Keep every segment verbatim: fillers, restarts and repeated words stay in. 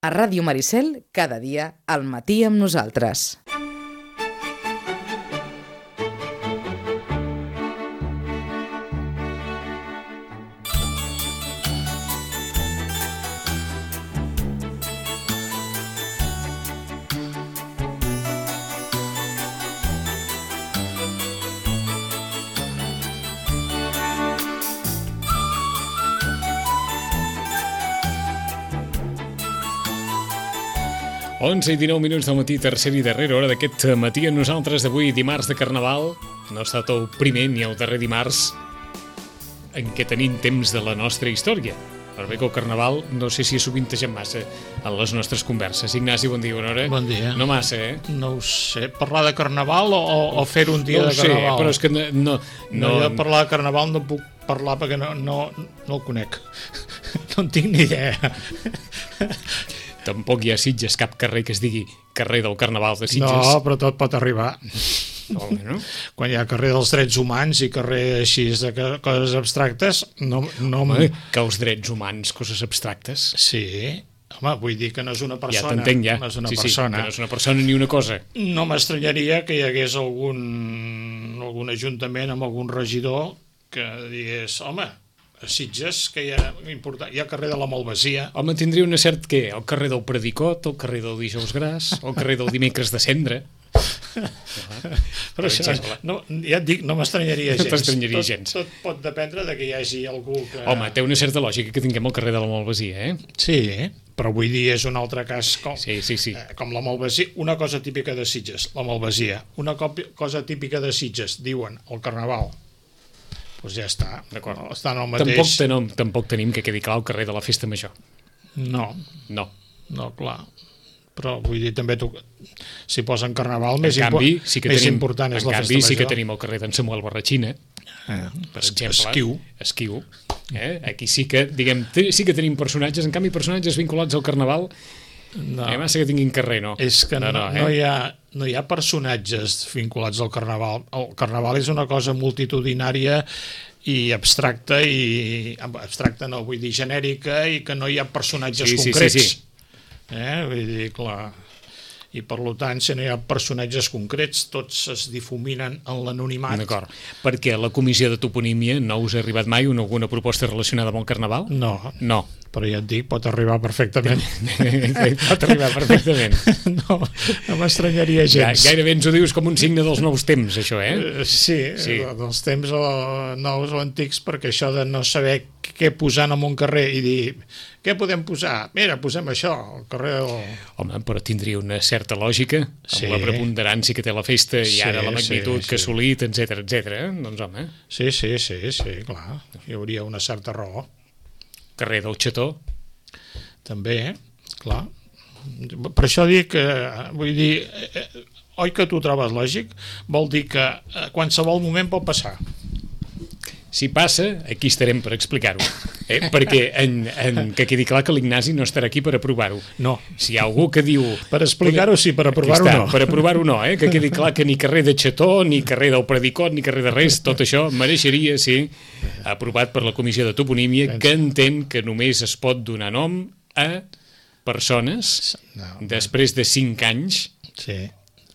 A Ràdio Maricel, cada dia, al matí amb nosaltres. onze i dinou minuts del matí, tercera i darrera hora d'aquest matí a nosaltres d'avui, dimarts de Carnaval. No ha estat el primer ni el darrer dimarts en què tenim temps de la nostra història. Per bé que el Carnaval no sé si ha sovintejat massa en les nostres converses. Ignasi, bon dia, bona hora. Bon dia. No massa, eh? No ho sé. Parlar de Carnaval o, o fer un dia no de Carnaval? No ho sé, però és que no... No, no, no jo parlar de Carnaval no puc parlar perquè no, no, no el conec. No en tinc ni idea. Tampoc hi ha a Sitges cap carrer que es digui carrer del Carnaval de Sitges. No, però tot pot arribar. No, no? Quan hi ha carrer dels drets humans i carrer així de coses abstractes, no... no home, que els drets humans, coses abstractes. Sí, home, vull dir que no és una persona. Ja t'entenc, ja. No és una sí, persona. Sí, que no és una persona ni una cosa. No m'estranyaria que hi hagués algun, algun ajuntament amb algun regidor que digués, home, a Sitges, que hi ha, important, hi ha carrer de la Malvasia. Home, tindria una cert què? El carrer del Predicot, el carrer del Dijous Gras, el carrer del Dimecres de Cendra. Però això, no, ja et dic, no m'estranyaria gens. No t'estranyaria gens. Tot, tot pot dependre de que hi hagi algú que... Home, té una certa lògica que tinguem el carrer de la Malvasia, eh? Sí, però vull dir, és un altre cas com, sí, sí, sí. Eh, com la Malvasia, una cosa típica de Sitges, la Malvasia. Una cosa típica de Sitges, diuen, el Carnaval. Doncs ja està, d'acord. Està en el mateix... Tampoc, tenom, tampoc tenim que quedi clar el carrer de la Festa Major. No. No. No, clar. Però vull dir, també tu, si posen Carnaval, més, canvi, impo sí que més tenim, important és la canvi, Festa Major. Sí que tenim el carrer d'en Samuel Barratxina, eh, per exemple. Esquiu. Esquiu. Eh? Aquí sí que, diguem, sí que tenim personatges, en canvi personatges vinculats al Carnaval, no. Eh, massa que tinguin carrer, no. És que no, no, eh? no, hi ha, no hi ha personatges vinculats al Carnaval. El Carnaval és una cosa multitudinària i abstracta, i abstracta no, vull dir genèrica, i que no hi ha personatges sí, concrets. Sí, sí, sí. Eh? Vull dir, clar... I per tant, si no hi ha personatges concrets, tots es difuminen en l'anonimat. D'acord, perquè a la comissió de toponímia no us ha arribat mai una, alguna proposta relacionada amb el Carnaval? No. No. Però ja et dic, pot arribar perfectament. Pot arribar perfectament. No, no m'estranyaria gens. Gairebé ens ho dius com un signe dels nous temps, això, eh? Sí, sí. Dels temps o nous o antics, perquè això de no saber què posar en un carrer i dir, què podem posar? Mira, posem això, al carrer del... Home, però tindria una certa lògica, amb sí. La preponderància que té la festa i sí, ara la magnitud sí, sí. que ha assolit, etcètera, etcètera. Doncs, home... Sí, sí, sí, sí, clar. Hi hauria una certa raó. Carrer del Xató. També, clar. Per això dic que, vull dir, eh, oi que tu trobes lògic? Vol dir que a qualsevol moment pot passar. Si passa, aquí estarem per explicar-ho. Eh? Perquè en, en, que quedi clar que l'Ignasi no estarà aquí per aprovar-ho. No. Si hi ha algú que diu... Per explicar-ho sí, per aprovar-ho no. Per aprovar-ho no, eh? Que quedi clar que ni carrer de Xató, ni carrer del Predicot, ni carrer de res, tot això mereixeria ser aprovat per la comissió de toponímia, que entén que només es pot donar nom a persones no, després de cinc anys sí.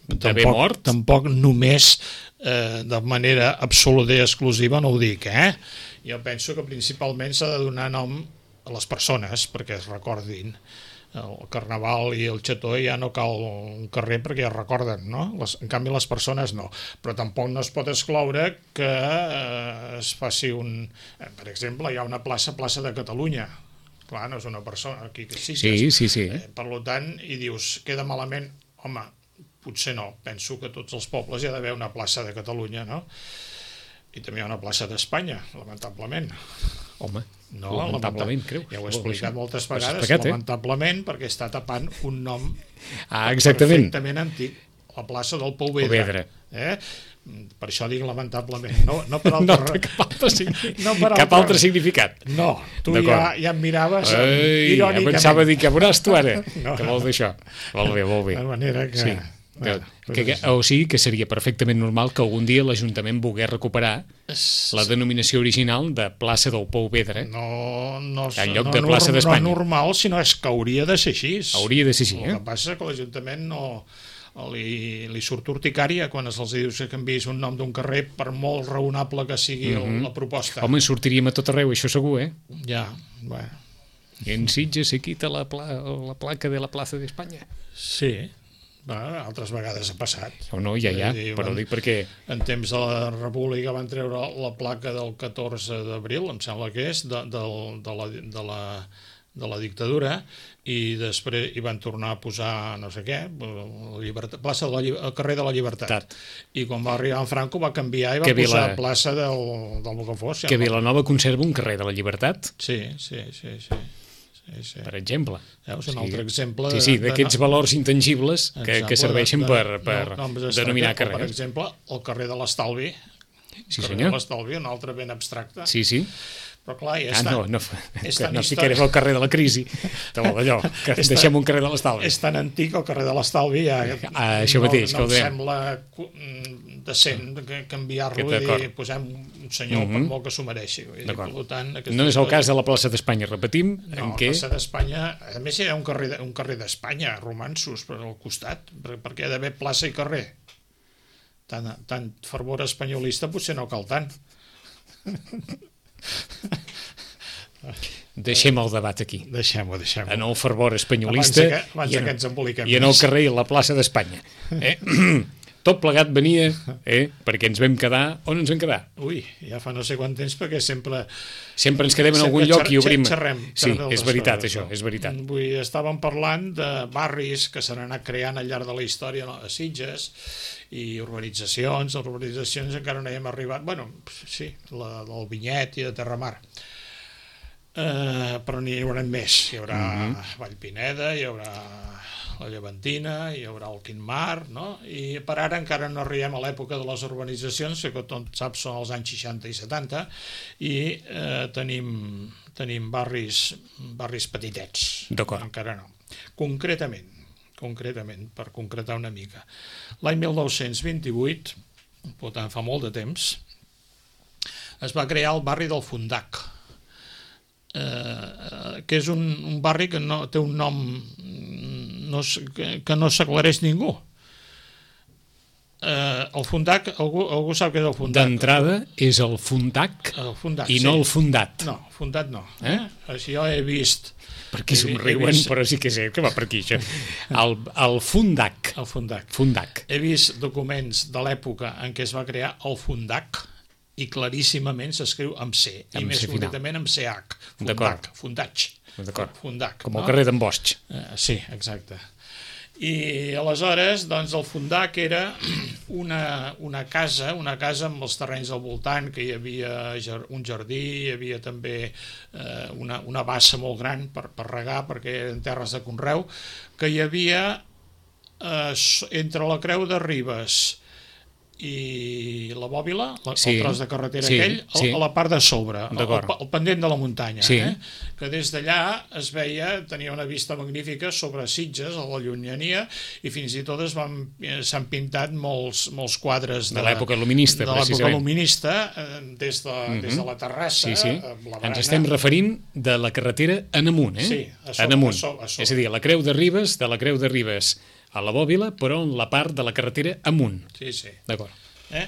d'haver mort. Tampoc només eh, de manera absoluta i exclusiva no ho dic, eh? Jo penso que principalment s'ha de donar nom a les persones perquè es recordin. El Carnaval i el Xató ja no cal un carrer perquè ja es recorden, no? Les, en canvi les persones no. Però tampoc no es pot excloure que eh, es faci un... Eh, per exemple, hi ha una plaça, plaça de Catalunya. Clar, no és una persona aquí que sí. Sí, sí, sí. Eh, per tant, i dius, queda malament... Home, potser no. Penso que tots els pobles hi ha d'haver una plaça de Catalunya, no? I també hi ha una plaça d'Espanya, lamentablement. Home, no, lamentablement, creu? Ja ho he explicat moltes vegades, explicat, lamentablement, eh? Perquè està tapant un nom ah, exactament. perfectament antic, la plaça del Pouvedre. Pouvedre. Eh? Per això dic lamentablement, no, no per altre... No, cap altre, significat. no per altre... cap altre significat. No, tu ja, ja em miraves Ei, irònicament. Ja pensava dir, què veuràs tu ara? No. Que vols dir això? Molt bé, molt bé. De manera que... Sí. Bueno, que, que, o sigui que seria perfectament normal que algun dia l'Ajuntament volgués recuperar la denominació original de plaça del Pou Vedre. No, no, en lloc no, de plaça no, d'Espanya. No normal, sinó és que hauria de ser així. Hauria de ser així, eh? El que passa és que l'Ajuntament no... Li, li surt urticària quan se'ls dius que canviïs un nom d'un carrer per molt raonable que sigui mm -hmm. la proposta. Home, sortiríem a tot arreu, això segur, eh? Ja, bueno. En Sitges se quita la, pla la placa de la plaça d'Espanya. Sí, bueno, altres vegades ha passat. O no, ja, ja, dir, però van, dic perquè... En temps de la República van treure la placa del catorze d'abril, em sembla que és, de, de, de, la, de, la, de la dictadura, i després hi van tornar a posar no sé què, la llibertat, plaça de la, el carrer de la Llibertat. Tat. I quan va arribar en Franco va canviar i va que posar Vila... plaça del, del Bocafós. Que Vilanova conserva un carrer de la Llibertat. Sí, sí, sí, sí. Sí, sí. Per exemple. Veus, un altre exemple... Sí, sí, d'aquests valors intangibles que, que serveixen de, de, per, per no, denominar carrers. Per exemple, el carrer de l'Estalvi. Sí, el carrer senyor. de l'Estalvi, un altre ben abstracte. Sí, sí. Però clar, ja ah, està... no, no, que no ficarem el carrer de la crisi, d'allò, que és deixem un carrer de l'Estalvi. És tan antic el carrer de l'Estalvi, ja ah, això no, mateix, no que ho em sembla decent canviar-lo i dir, posem un senyor mm -hmm. per molt que s'ho mereixi. Tant, no és el cas de la plaça d'Espanya, repetim. No, en la què... plaça d'Espanya, a més hi ha un carrer, un carrer d'Espanya, romansos, per al costat, perquè ha d'haver plaça i carrer. Tant, tant fervor espanyolista potser no cal tant. Deixem el debat aquí. Deixem-ho, deixem-ho. En el fervor espanyolista abans que, abans i, en, que ens emboliquem i en el carrer i la plaça d'Espanya. Eh? Tot plegat venia eh? perquè ens vam quedar... On ens vam quedar? Ui, ja fa no sé quant temps, perquè sempre... Sempre ens quedem en algun lloc i obrim... Xerrem, sí, és veritat, coses, això, no? és veritat. Vull, estàvem parlant de barris que s'han anat creant al llarg de la història a Sitges, i urbanitzacions, les urbanitzacions encara no hi hem arribat, bueno, sí, la del Vinyet i de Terramar. Uh, però n'hi haurà més, hi haurà mm -hmm. Vallpineda, hi haurà la Llevantina, hi haurà el Quintmar, no? I per ara encara no arribem a l'època de les urbanitzacions, que tot saps són els anys seixanta i setanta, i eh, tenim, tenim barris, barris petitets. D'acord. Encara no. Concretament, concretament, per concretar una mica, l'any mil nou-cents vint-i-vuit, per tant fa molt de temps, es va crear el barri del Fundac, eh, que és un, un barri que no, té un nom no, que, que no s'aclareix ningú. Eh, el Fundac, algú, algú sap què és el Fundac? D'entrada és el Fundac, el fundac i sí. no el Fundat. No, Fundat no. Eh? Així jo he vist... Per aquí somriuen, vist... però sí que sé que va per aquí, això. El, el Fundac. El Fundac. Fundac. He vist documents de l'època en què es va crear el Fundac, i claríssimament s'escriu amb C, i més concretament amb C H. Fundac, Fundaig. Fundac. Com el carrer d'en Bosch. Uh, sí, exacte. I aleshores, doncs, el Fundac era una, una casa, una casa amb els terrenys al voltant, que hi havia un jardí, hi havia també eh, una, una bassa molt gran per, per regar, perquè eren terres de conreu, que hi havia eh, entre la Creu de Ribes i la Bòbila, la, sí, el tros de carretera sí, aquell, sí. A la part de sobre, el, el pendent de la muntanya, sí. eh? Que des d'allà es veia, tenia una vista magnífica sobre Sitges, a la llunyania, i fins i tot s'han pintat molts, molts quadres de, de l'època luminista, de l'època luminista, des de, uh -huh. des de la terrassa. Sí, sí. Ens estem referint de la carretera en amunt, eh? Sí, a sobre, en amunt. A sobre, a sobre. És a dir, a la Creu de Ribes, de la Creu de Ribes a la Bòbila, però en la part de la carretera amunt. Sí, sí. D'acord. Eh?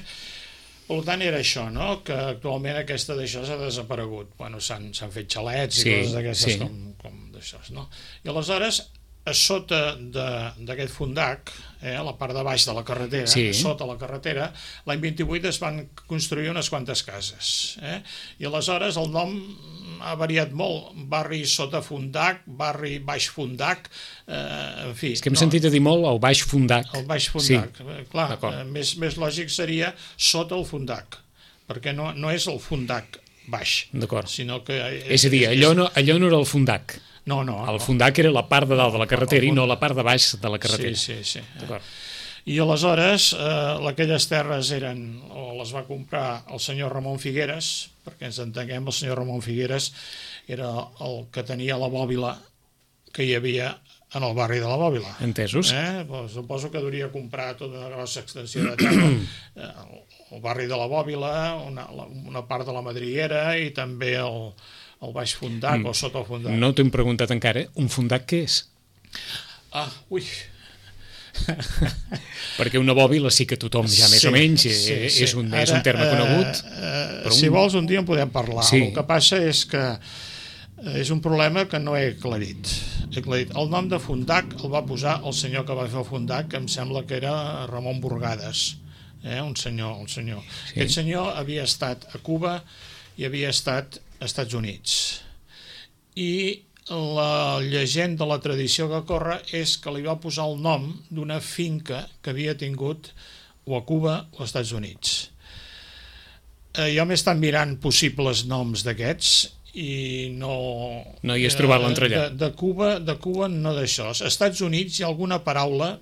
Per tant, era això, no? Que actualment aquesta d'això s'ha desaparegut. Bueno, s'han fet xalets sí, i coses d'aquestes sí. com, com d'això, no? I aleshores, a sota d'aquest Fundac, eh, a la part de baix de la carretera, sí. sota la carretera, l'any vint-i-vuit es van construir unes quantes cases. Eh? I aleshores el nom ha variat molt. Barri sota Fundac, barri baix Fundac, eh, en fi... És que hem no, sentit a dir molt el baix Fundac. El baix Fundac, sí. Clar, eh, més, més lògic seria sota el Fundac, perquè no, no és el Fundac baix, sinó que... És, és a dir, allò no, allò no era el Fundac. No, no. El Fundac era la part de dalt de la carretera i no la part de baix de la carretera. Sí, sí, sí. I aleshores eh, aquelles terres eren, o les va comprar el senyor Ramon Figueres, perquè ens entenguem, el senyor Ramon Figueres era el que tenia la bòbila que hi havia en el barri de la Bòbila. Entesos. Eh? Pues, suposo que hauria comprar tota una grossa extensió de terra. eh, el barri de la Bòbila, una, una part de la Madriguera i també el, el Baix Fundac mm. o sota el Fundac. No t'hem preguntat encara, un fundac què és? Ah, ui... Perquè una bòbila sí que tothom ja més sí, o menys sí, sí. És, un, Ara, és un terme conegut. Uh, uh, si un... vols un dia en podem parlar. Sí. El que passa és que és un problema que no he aclarit. he aclarit. El nom de Fundac el va posar el senyor que va fer el Fundac, que em sembla que era Ramon Burgades, eh? un senyor, un senyor. Sí. Aquest senyor havia estat a Cuba i havia estat als Estats Units. I la llegenda, la tradició que corre és que li va posar el nom d'una finca que havia tingut o a Cuba o als Estats Units. Eh, jo m'he estat mirant possibles noms d'aquests i no... No hi has trobat l'entrellat. De, de, Cuba, de Cuba no d'això. Als Estats Units hi ha alguna paraula,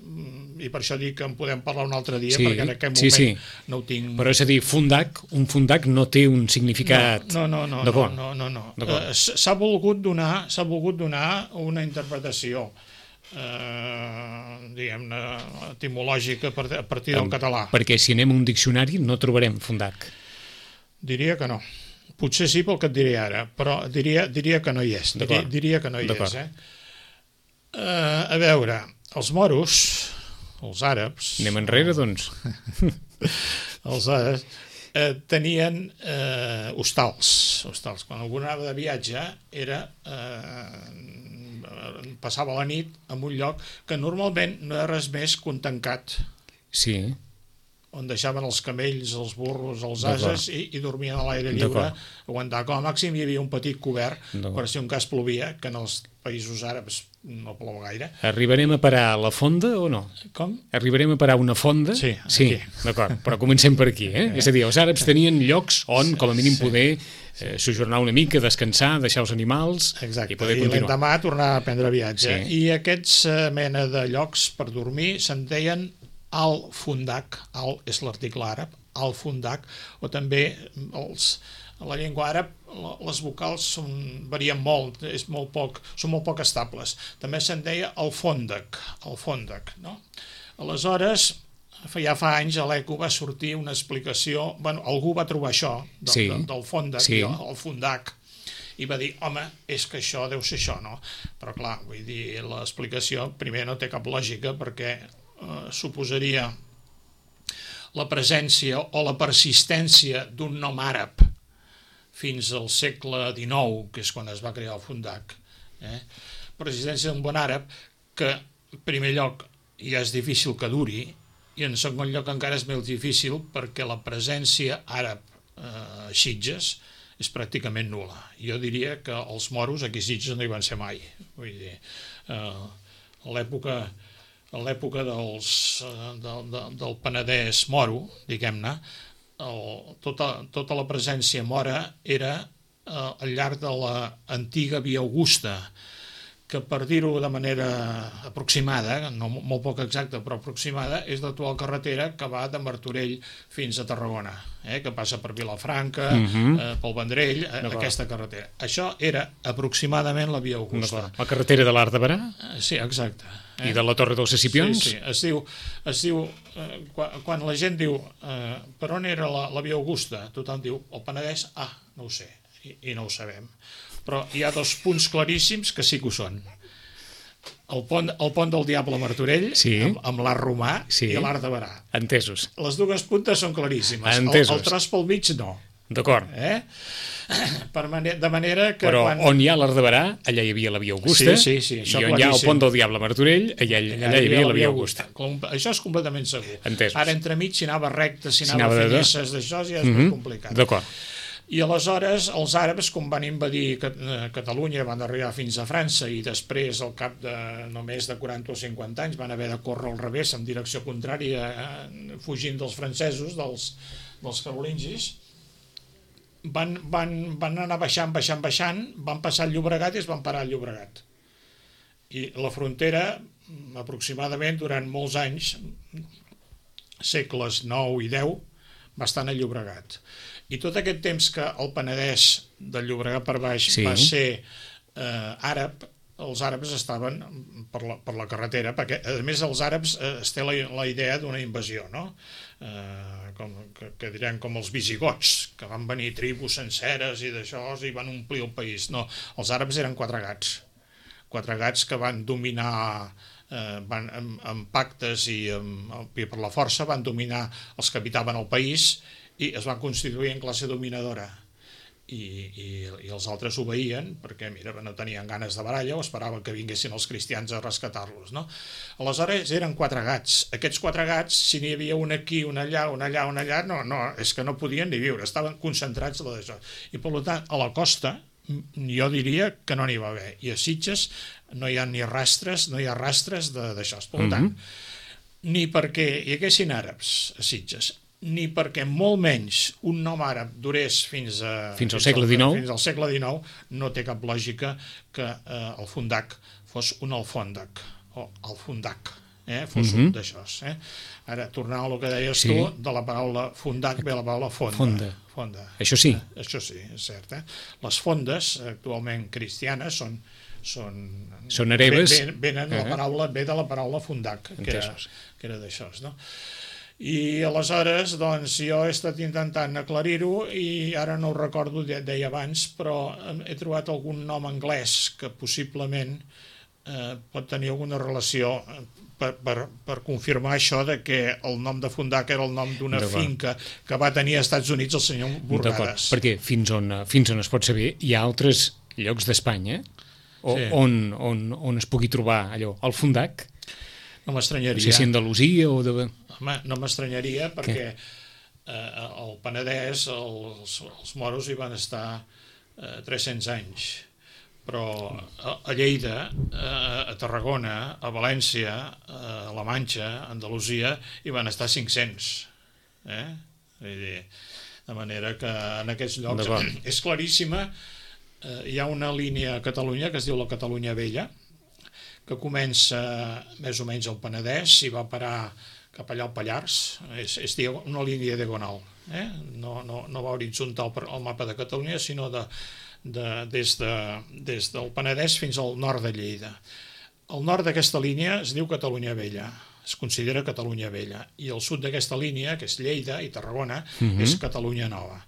i per això dic que en podem parlar un altre dia, sí, perquè en aquest moment sí, sí. no ho tinc... Però és a dir, fundac, un fundac no té un significat... No, no, no, no, no, no, no. Uh, s'ha volgut donar, s'ha volgut donar una interpretació eh, diguem-ne, etimològica a partir del um, català. Perquè si anem a un diccionari no trobarem fundac. Diria que no. Potser sí pel que et diré ara, però diria, diria que no hi és. Diria, diria que no hi és. Eh? Uh, a veure, els moros, els àrabs... Anem enrere, doncs. Els àrabs eh, tenien eh, hostals. hostals. Quan algú anava de viatge, era, eh, passava la nit en un lloc que normalment no era res més que un tancat. Sí. On deixaven els camells, els burros, els ases i, i dormien a l'aire lliure, aguantar. Com a màxim hi havia un petit cobert per si un cas plovia, que en els països àrabs no plou gaire. Arribarem a parar la fonda o no? Com? Arribarem a parar una fonda? Sí, sí, d'acord, però comencem per aquí. Eh? És a dir, els àrabs tenien llocs on, com a mínim, sí, poder eh, sojornar una mica, descansar, deixar els animals. Exacte. I poder I continuar. I l'endemà tornar a prendre viatge. Sí. I aquests eh, mena de llocs per dormir se'n deien al-fundac, al és l'article àrab, al-fundac, o també els, a la llengua àrab les vocals són, varien molt, és molt poc, són molt poc estables. També se'n deia al-fondac, al-fondac, no? Aleshores, ja fa anys a l'Eco va sortir una explicació, bueno, algú va trobar això, del, sí, del, del fondac, sí, el fundac, i va dir, home, és que això deu ser això, no? Però clar, vull dir, l'explicació primer no té cap lògica perquè Uh, suposaria la presència o la persistència d'un nom àrab fins al segle dinou, que és quan es va crear el fundac. Eh? Persistència d'un bon àrab que, en primer lloc, ja és difícil que duri, i en segon lloc encara és més difícil perquè la presència àrab eh, a Sitges és pràcticament nul·la. Jo diria que els moros aquí a Sitges no hi van ser mai. Vull dir, eh, a l'època... a l'època dels, del, del Penedès moro, diguem-ne, tota, tota la presència mora era eh, al llarg de l'antiga Via Augusta, que per dir-ho de manera aproximada, no molt poc exacta però aproximada, és l'actual carretera que va de Martorell fins a Tarragona, eh, que passa per Vilafranca, uh-huh, eh, pel Vendrell, eh, aquesta carretera. Això era aproximadament la Via Augusta. La carretera de l'Arc de Berà? Eh, sí, exacte. Eh? I de la Torre dels Escipions? Sí, sí. Es diu, es diu eh, quan, quan la gent diu eh, per on era la, la Via Augusta, tothom diu el Penedès, ah, no ho sé, i, i no ho sabem. Però hi ha dos punts claríssims que sí que ho són. El pont, el pont del Diable a Martorell, sí, amb, amb l'Arc Romà, sí, i l'Arc de Berà. Entesos. Les dues puntes són claríssimes. Entesos. El, el tros pel mig no. D'acord. Eh? Per manera, de manera que... Però quan... on hi ha l'Arc de Berà, allà hi havia la Via Augusta, sí, sí, sí, i on hi ha el pont del Diable a Martorell, allà, allà, allà hi havia la Via Augusta. Augusta. Això és completament segur. Entesos. Ara, entremig, si anava recte, si anava, si anava finesses d'això, ja és mm-hmm, molt complicat. D'acord. I aleshores els àrabs, com van invadir Catalunya, van arribar fins a França i després, al cap de només de quaranta o cinquanta anys, van haver de córrer al revés, en direcció contrària, eh, fugint dels francesos, dels, dels carolingis, van, van, van anar baixant, baixant, baixant, van passar al Llobregat i es van parar al Llobregat. I la frontera, aproximadament durant molts anys, segles nou i deu, va estar al Llobregat. I tot aquest temps que el Penedès del Llobregat per baix, sí, va ser eh, àrab, els àrabs estaven per la, per la carretera, perquè a més els àrabs eh, es té la, la idea d'una invasió, no? Eh, com, que, que direm com els visigots, que van venir tribus senceres i d'això i van omplir el país. No, els àrabs eren quatre gats, quatre gats que van dominar eh, van, amb, amb pactes i, amb, i per la força van dominar els que habitaven el país i es van constituir en classe dominadora. I, i, i els altres obeïen perquè mira, no tenien ganes de baralla o esperaven que vinguessin els cristians a rescatar-los, no? Aleshores eren quatre gats. Aquests quatre gats, si n'hi havia un aquí, un allà, un allà, un allà, no, no, és que no podien ni viure, estaven concentrats en això. I per tant, a la costa jo diria que no n'hi va haver. I a Sitges no hi ha ni rastres, no hi ha rastres d'això. Per tant, mm-hmm. ni perquè hi haguessin àrabs a Sitges, ni perquè molt menys un nom àrab durés fins, a, fins al segle dinou, fins al segle dinou, no té cap lògica que eh, el fundac fos un alfòndac, o alfundac, eh, fos mm-hmm. un d'això. Eh? Ara, tornant al que deies sí. tu, de la paraula fundac ve la paraula fonda. Fonda. fonda. Això sí. Eh, això sí, és cert. Eh? Les fondes, actualment cristianes, són són, són hereves. Venen, venen uh-huh. la paraula, ve de la paraula fundac, que era, que era d'això, no? I aleshores, doncs, jo he estat intentant aclarir-ho i ara no ho recordo, deia abans, però he trobat algun nom anglès que possiblement eh, pot tenir alguna relació per, per, per confirmar això de que el nom de Fundac era el nom d'una finca que va tenir als Estats Units el senyor Burgades. Perquè fins on, fins on es pot saber, hi ha altres llocs d'Espanya o, sí. on, on, on es pugui trobar allò, el Fundac. No m'estranyaria. No sé si Andalusia o de... Home, no m'estranyaria perquè eh, al Penedès els, els moros hi van estar eh, tres-cents anys, però a, a Lleida, eh, a Tarragona, a València, a la Manxa, a Andalusia, hi van estar cinc-cents. Eh? Vull dir, de manera que en aquests llocs és claríssima. Eh, hi ha una línia a Catalunya que es diu la Catalunya Vella, que comença més o menys al Penedès i va parar cap allà al Pallars, és, és una línia diagonal, eh? no, no, no va horitzontal per al mapa de Catalunya, sinó de, de, des, de, des del Penedès fins al nord de Lleida. El nord d'aquesta línia es diu Catalunya Vella, es considera Catalunya Vella, i el sud d'aquesta línia, que és Lleida i Tarragona, mm-hmm. és Catalunya Nova.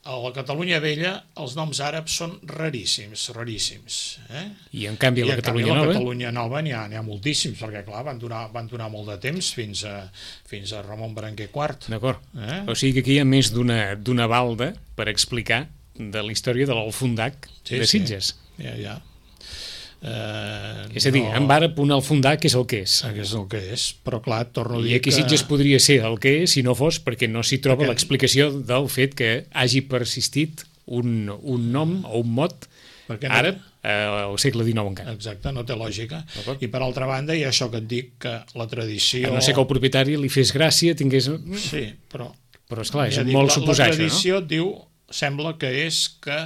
A la Catalunya Vella els noms àrabs són raríssims, raríssims. Eh? I en canvi a la I en Catalunya canvi, Nova? A la Catalunya Nova n'hi ha, n'hi ha moltíssims, perquè clar, van durar, van durar molt de temps fins a, fins a Ramon Berenguer quart. D'acord. Eh? O sigui que aquí hi ha més d'una d'una balda per explicar de la història de l'Alfundac sí, de Sitges. Sí, ja, ja. Eh, és a dir, no... en àrab un alfundac és el que és. És el que és, però clar, torno a dir I aquí que... Sitges podria ser el que és si no fos perquè no s'hi troba perquè... l'explicació del fet que hagi persistit un, un nom o un mot perquè no... àrab eh, al segle dinou encara. Exacte, no té lògica. I per altra banda hi ha això que et dic, que la tradició... A no sé que el propietari li fes gràcia, tingués... Sí, però... Però esclar, és ja molt dic, suposar això, no? La tradició això, no? diu, sembla que és que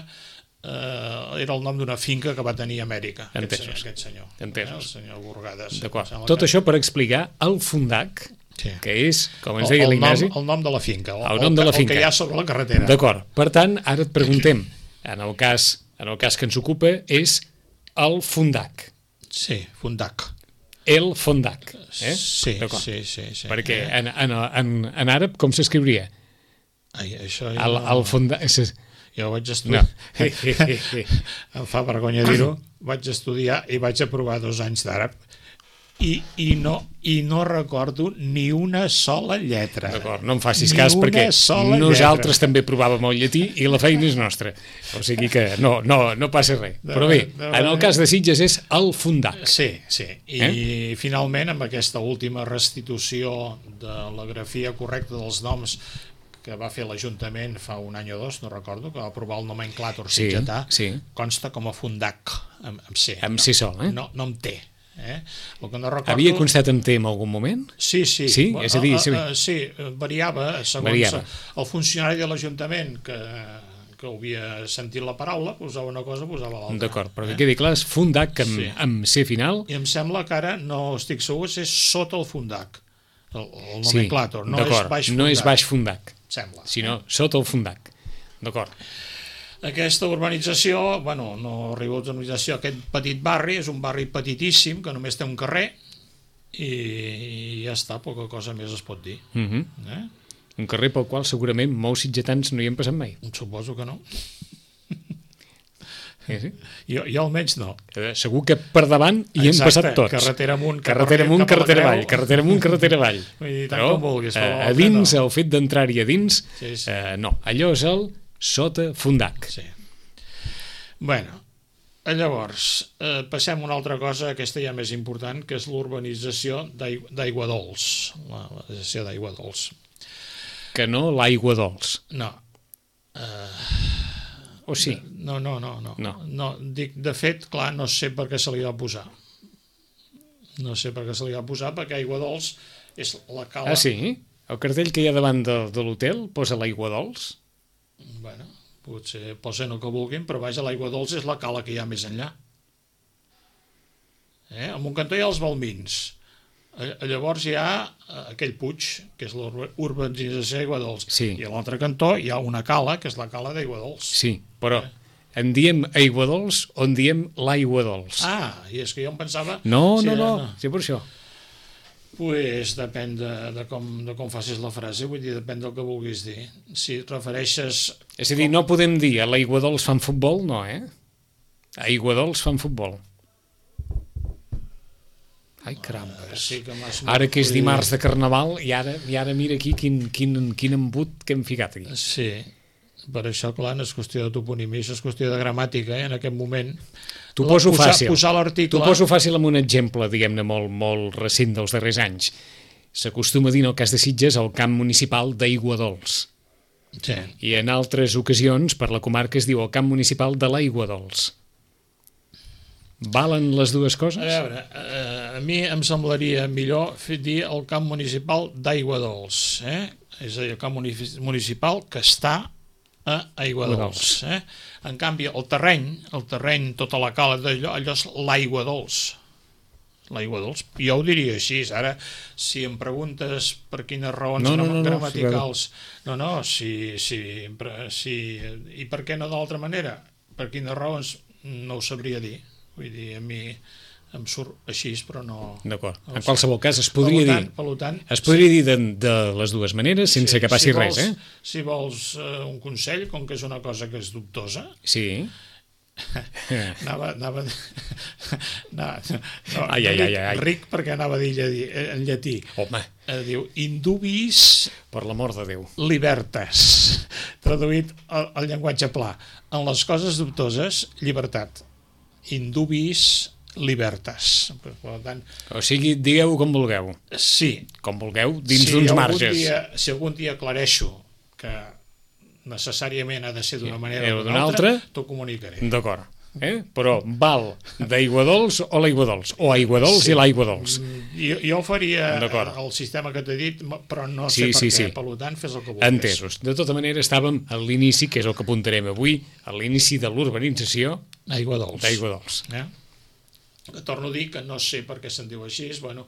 Uh, era el nom d'una finca que va tenir a Amèrica, aquest senyor, aquest senyor, eh, el senyor Burgades. D'acord. Tot que... això per explicar el Fundac, sí. que és, com ens deia l'Ignasi... El nom de la finca, el, el, nom de la el, finca. el que hi ha sobre la carretera. D'acord. Per tant, ara et preguntem, en el cas, en el cas que ens ocupa, és el Fundac. Sí, Fundac. El Fundac. Eh? Sí, sí, sí, sí. Perquè en, en, en, en àrab com s'escriuria? Ai, això... El, el Fundac... Jo vaig estudiar, no. Em fa vergonya dir-ho, vaig estudiar i vaig aprovar dos anys d'àrab i, i, no, i no recordo ni una sola lletra. D'acord, no em facis ni cas perquè nosaltres lletra. També provàvem el llatí i la feina és nostra. O sigui que no, no, no passa res. De, Però bé, de, en el cas de Sitges és el Fundac. Sí, sí. I eh? finalment amb aquesta última restitució de la grafia correcta dels noms que va fer l'Ajuntament fa un any o dos, no recordo, que va aprovar el nomenclàtor sí, sitgetà, sí. consta com a Fundac, amb, amb C. Amb no, C sol, eh? No, no amb T. Eh? El que no recordo... Havia constat amb T en algun moment? Sí, sí. Sí, és a dir... Sí, uh, uh, sí variava segons variava. El funcionari de l'Ajuntament que, que havia sentit la paraula, posava una cosa, posava l'altra. D'acord, però que eh? quedi clar, és Fundac amb, sí. amb C final. I em sembla que ara, no estic segur, és sota el Fundac, el, el nomenclàtor, sí, no és baix Fundac. No és baix Fundac. Sembla. Sinó sota el Fundac. D'acord. Aquesta urbanització, bueno, no arriba a urbanització, aquest petit barri és un barri petitíssim que només té un carrer i ja està, poca cosa més es pot dir. Uh -huh. Eh? Un carrer pel qual segurament molts sitgetans no hi han passat mai. Suposo que no. Sí, sí. Jo, jo almenys no. Eh, segur que per davant hi hem passat tots. Carretera amunt, carretera amunt, carretera avall, carretera amunt, carretera avall. Vull dir, tant Però, com vulguis. eh, Però a dins, no. el fet d'entrar-hi a dins, Sí, sí. Eh, no. Allò és el sota fundac. Sí. Bueno, llavors, eh, passem a una altra cosa, aquesta ja més important, que és l'urbanització d'aigua dols. La urbanització d'aigua dols. Que no l'aigua dolç. No. Eh... O sí? No, no, no, no. No. no. Dic, de fet, clar, no sé per què se li va posar. No sé per què se li va posar, perquè aigua dols és la cala... Ah, sí? El cartell que hi ha davant de, de l'hotel posa l'aigua dolç? Bueno, potser posen el que vulguin, però vaja, l'aigua dols és la cala que hi ha més enllà. Eh? A Montcantó hi ha els Balmins. Llavors hi ha aquell puig, que és l'urbanització d'aigua dols. Sí. I a l'altre cantó hi ha una cala, que és la cala d'aigua dols. Sí, però en diem aigua dolç o en diem l'aigua dolç? Ah, i és que jo em pensava... No, si no, era, no, no. sí, per això. Pues depèn de, de, com, de com facis la frase, vull dir, depèn del que vulguis dir. Si et refereixes... És a dir, no podem dir a l'aigua dolç fan futbol, no, eh? Aigua dolç fan futbol. Ai, carambes. Sí que ara que és dimarts de Carnaval i ara, i ara mira aquí quin, quin, quin embut que hem ficat aquí. Sí, per això, clar, no és qüestió de toponímia, això és qüestió de gramàtica, eh, en aquest moment. T'ho poso posar, fàcil. Posar l'article... T'ho poso fàcil amb un exemple, diguem-ne, molt, molt recent dels darrers anys. S'acostuma a dir en el cas de Sitges el camp municipal d'Aigua Dols. Sí. I en altres ocasions per la comarca es diu el camp municipal de l'Aigua Dols. Valen les dues coses? A veure, eh, a mi em semblaria millor fer dir el camp municipal d'Aigua Dols, eh? És a dir, el camp municipal que està a Aigua Dols. Eh? En canvi, el terreny, el terreny, tota la cala d'allò, allò és l'Aigua Dols. L'aigua dolç. Jo ho diria així. Ara, si em preguntes per quines raons no, no, no, gramaticals... No, no, si, si, si... I per què no d'altra manera? Per quines raons no ho sabria dir. Vull dir, a mi em surt així, però no... D'acord. No en qualsevol cas, es podria per tant, dir, per tant, es podria sí. dir de, de les dues maneres, sense sí, que passi si vols, res, eh? Si vols uh, un consell, com que és una cosa que és dubtosa... Sí. anava, anava, anava no, ai, ai, ai, ai. ric perquè anava a dir en llatí. Home. Eh, diu, indubis... Per l'amor de Déu. Libertas. Traduït al, al llenguatge pla. En les coses dubtoses, llibertat. Indubis libertas. Per tant, o sigui, digueu com vulgueu. Sí. Com vulgueu, dins si d'uns algun marges. Dia, si algun dia aclareixo que necessàriament ha de ser d'una manera o d'una altra, t'ho comunicaré. D'acord. Eh? Però val d'aigua dolç o l'aigua dolç? O aigua dolç sí. i l'aigua dolç? Jo, jo faria el sistema que t'he dit, però no sí, sé per sí, què. sí. Per tant, fes el que vulguis. Entesos. De tota manera, estàvem a l'inici, que és el que apuntarem avui, a l'inici de l'urbanització Aigua dolç. d'aigua dolç. Eh? Torno a dir que no sé per què se'n diu així, bueno...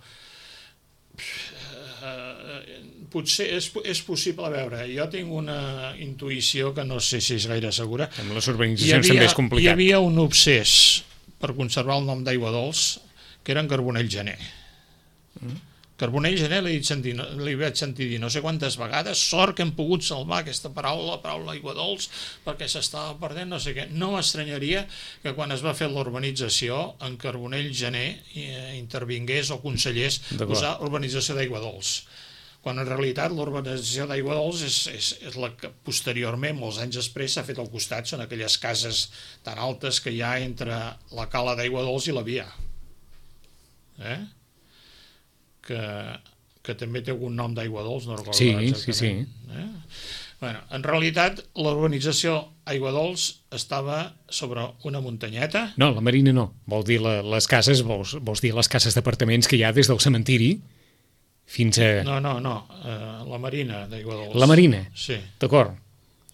potser és, és possible, a veure, jo tinc una intuïció que no sé si és gaire segura. Amb les urbanitzacions havia, també és complicat. Hi havia un obsés per conservar el nom d'aigua dolç, que era en Carbonell Gener. Mm. Carbonell Gener li, sentir, li vaig sentir dir no sé quantes vegades, sort que hem pogut salvar aquesta paraula, la paraula aigua dolç, perquè s'estava perdent, no sé què. No m'estranyaria que quan es va fer l'urbanització, en Carbonell Gener eh, intervingués o consellers posar urbanització d'aigua dolç. Quan en realitat l'urbanització d'aigua dolç és, és, és la que posteriorment, molts anys després, s'ha fet al costat, són aquelles cases tan altes que hi ha entre la cala d'aigua dolç i la via. Eh? Que, que també té algun nom d'aigua dolç, no recordo sí, exactament. Sí, sí. Eh? Bueno, en realitat, l'urbanització aigua dolç estava sobre una muntanyeta. No, la Marina no. Vol dir la, les cases, vols, vols dir les cases d'apartaments que hi ha des del cementiri fins a... No, no, no, uh, la Marina d'aigua dolç. La Marina? Sí. D'acord.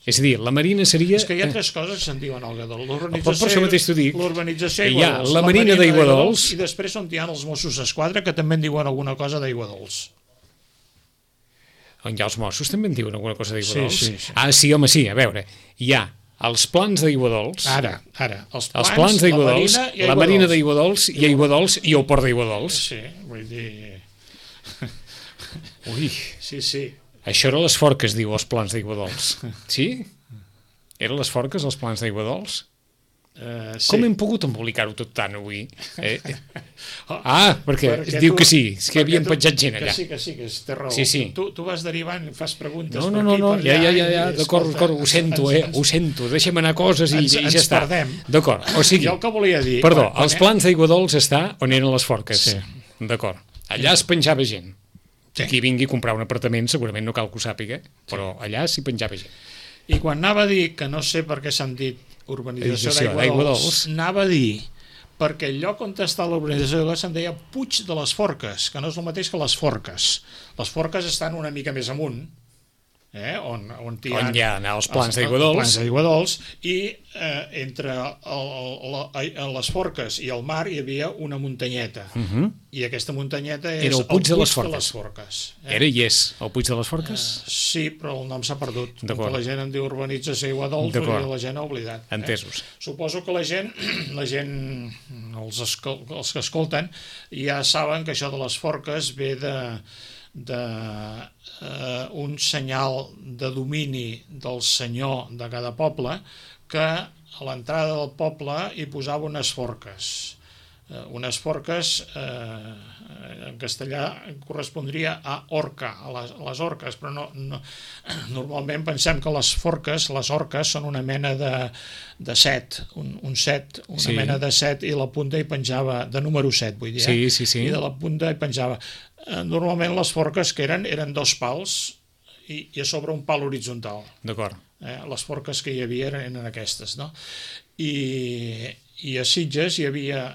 És a dir, la Marina seria... És que hi ha tres coses que se'n diuen al Gadol. Per això mateix t'ho dic. L'urbanització aigua dolç. La Marina d'aigua dolç. I després on hi ha els Mossos d'Esquadra que també en diuen alguna cosa d'aigua dolç. On hi ha els Mossos també en diuen alguna cosa d'aigua sí, dolç? Sí, sí. Ah, sí, home, sí, a veure. Hi ha Els plans d'Aiguadols. Ara, ara. Els plans, els plans d'Aiguadols, la marina, la marina d'Aiguadols i Aiguadols i el port d'Aiguadols. Sí, vull dir... Ui, Sí, sí. això era les forques, diu, els plans d'Aiguadols. Sí? Eren les forques, els plans d'Aiguadols? Uh, sí. Com hem pogut embolicar-ho tot tant avui? Eh? Ah, perquè, perquè diu tu, que sí, és que havien tu, penjat gent allà. Que sí, que sí, que té raó. Sí, sí. Tu, tu vas derivant, fas preguntes No, per no, no, aquí, no, per ja, allà... ja, ja, ja, i, d'acord, escolta, d'acord, ho sento, ens, eh, ens, ho sento, deixem anar coses i, ens, i ja ens està. perdem. D'acord, o sigui... Jo el que volia dir... Perdó, quan, els quan plans d'Aiguadols està on eren les forques. Sí. D'acord. Allà es penjava gent. Sí. Qui vingui a comprar un apartament segurament no cal que ho sàpiga, però allà s'hi penjava gent. I quan anava a dir, que no sé per què s'han dit urbanització Urbanització d'Aiguadols, d'Aiguadols. anava a dir perquè el lloc on està l'urbanització d'Aiguadols se'n deia Puig de les Forques, que no és el mateix que les Forques. Les Forques estan una mica més amunt, eh, on, on, hi ha, On hi ha els plans els- d'Aiguadols. els plans d'Aiguadols, i eh, entre el, el, la, les Forques i el mar hi havia una muntanyeta, Uh -huh. i aquesta muntanyeta és Era el Puig de les de Forques. les Forques eh? Era i és el Puig de les Forques? Sí, però el nom s'ha perdut. Com D'acord. que la gent en diu urbanització Aiguadols, D'acord. perquè la gent ha oblidat. Entesos. Eh? Suposo que la gent, la gent els, escol els que escolten, ja saben que això de les forques ve de, de eh, un senyal de domini del senyor de cada poble, que a l'entrada del poble hi posava unes forques. Eh, unes forques eh, en castellà correspondria a orca, a les, a les orques, però no, no, normalment pensem que les forques, les orques, són una mena de, de set, un, un set, una Sí. mena de set, i la punta hi penjava, de número set, vull dir, eh? Sí, sí, sí. I de la punta hi penjava. Eh, normalment les forques que eren, eren dos pals i, i a sobre un pal horitzontal. D'acord. Eh? Les forques que hi havia eren, eren aquestes, no? I, i a Sitges hi havia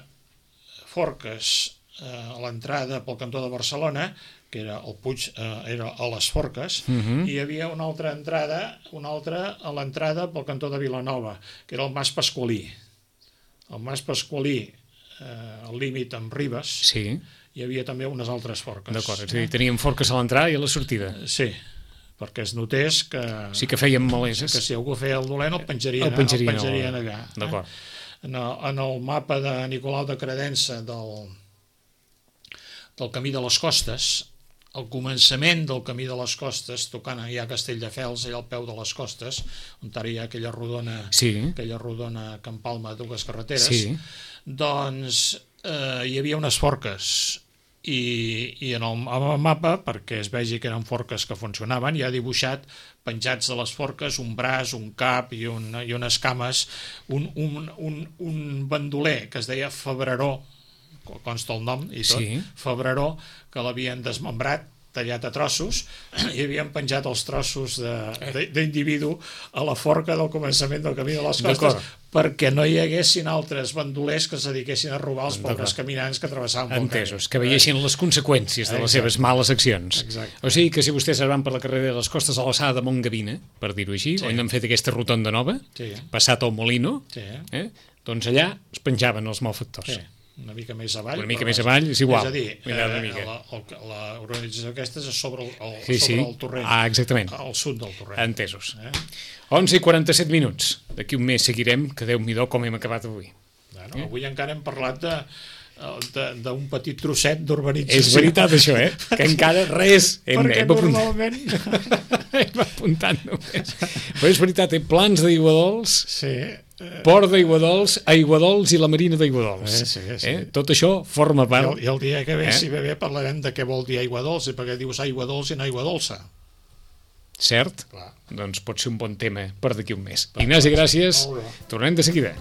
forques eh, a l'entrada pel cantó de Barcelona, que era el Puig, eh, era a les Forques, Uh -huh. i hi havia una altra entrada, una altra a l'entrada pel cantó de Vilanova, que era el Mas Pasqualí. El Mas Pasqualí, eh, al límit amb Ribes, Sí, hi havia també unes altres forques. d'acord. És a dir, teníem forques a l'entrada i a la sortida. Sí, perquè es notés que, Sí que fèiem maleses. que si algú feia el dolent el penjarien, El penjarien, el penjarien allà. Eh? D'acord. En el, en el mapa de Nicolau de Credença del, del Camí de les Costes, al començament del Camí de les Costes, tocant ja a Castelldefels, allà al peu de les Costes, on ara hi ha aquella rodona, Sí. aquella rodona que empalma dues carreteres, Sí. doncs eh, hi havia unes forques, i, i en el, en el mapa, perquè es vegi que eren forques que funcionaven, hi ha dibuixat, penjats de les forques, un braç, un cap i, un, i unes cames, un, un, un, un bandoler que es deia Febreró, consta el nom i tot, Sí. Febreró, que l'havien desmembrat, tallat a trossos, i havien penjat els trossos de- de- d'individu a la forca del començament del Camí de les Costes, D'acord. perquè no hi haguessin altres bandolers que es dediquessin a robar els pobres D'acord. caminants que travessaven pel Entesos, camí. que veiessin les conseqüències de les Exacte. seves males accions. Exacte. O sigui que si vostès van per la carrera de les costes a l'alçada de Montgavina, per dir-ho així, Sí. on han fet aquesta rotonda nova, Sí. passat al Molino, Sí. eh? doncs allà es penjaven els malfactors. Sí, una mica més avall. Una mica però més vaja. avall, és igual. És a dir, Mira, una eh, mica. la, el, la organització aquesta és sobre el, el, Sí, sí. sobre el torrent. Ah, exactament. Al sud del torrent. Entesos. Eh? onze i quaranta-set minuts. D'aquí un mes seguirem, que Déu-m'hi-do com hem acabat avui. Bueno, eh? Avui encara hem parlat de de- d'un petit trosset d'urbanització. És veritat, això, eh? Que encara res hem, Perquè hem apuntat. normalment... Hem apuntat només. Però és veritat, eh? Plans d'Aiguadols, Sí. Port d'Aiguadols, Aiguadols i la Marina d'Aiguadols. Eh, sí, sí. Eh? Tot això forma I part... el, I el dia que ve, Eh? si ve bé, parlarem de què vol dir aigua dolça, perquè dius aigua dolça i no aigua dolça. Cert? Clar. Doncs pot ser un bon tema per d'aquí un mes. Ignasi, gràcies. Molt bé. Tornem de seguida.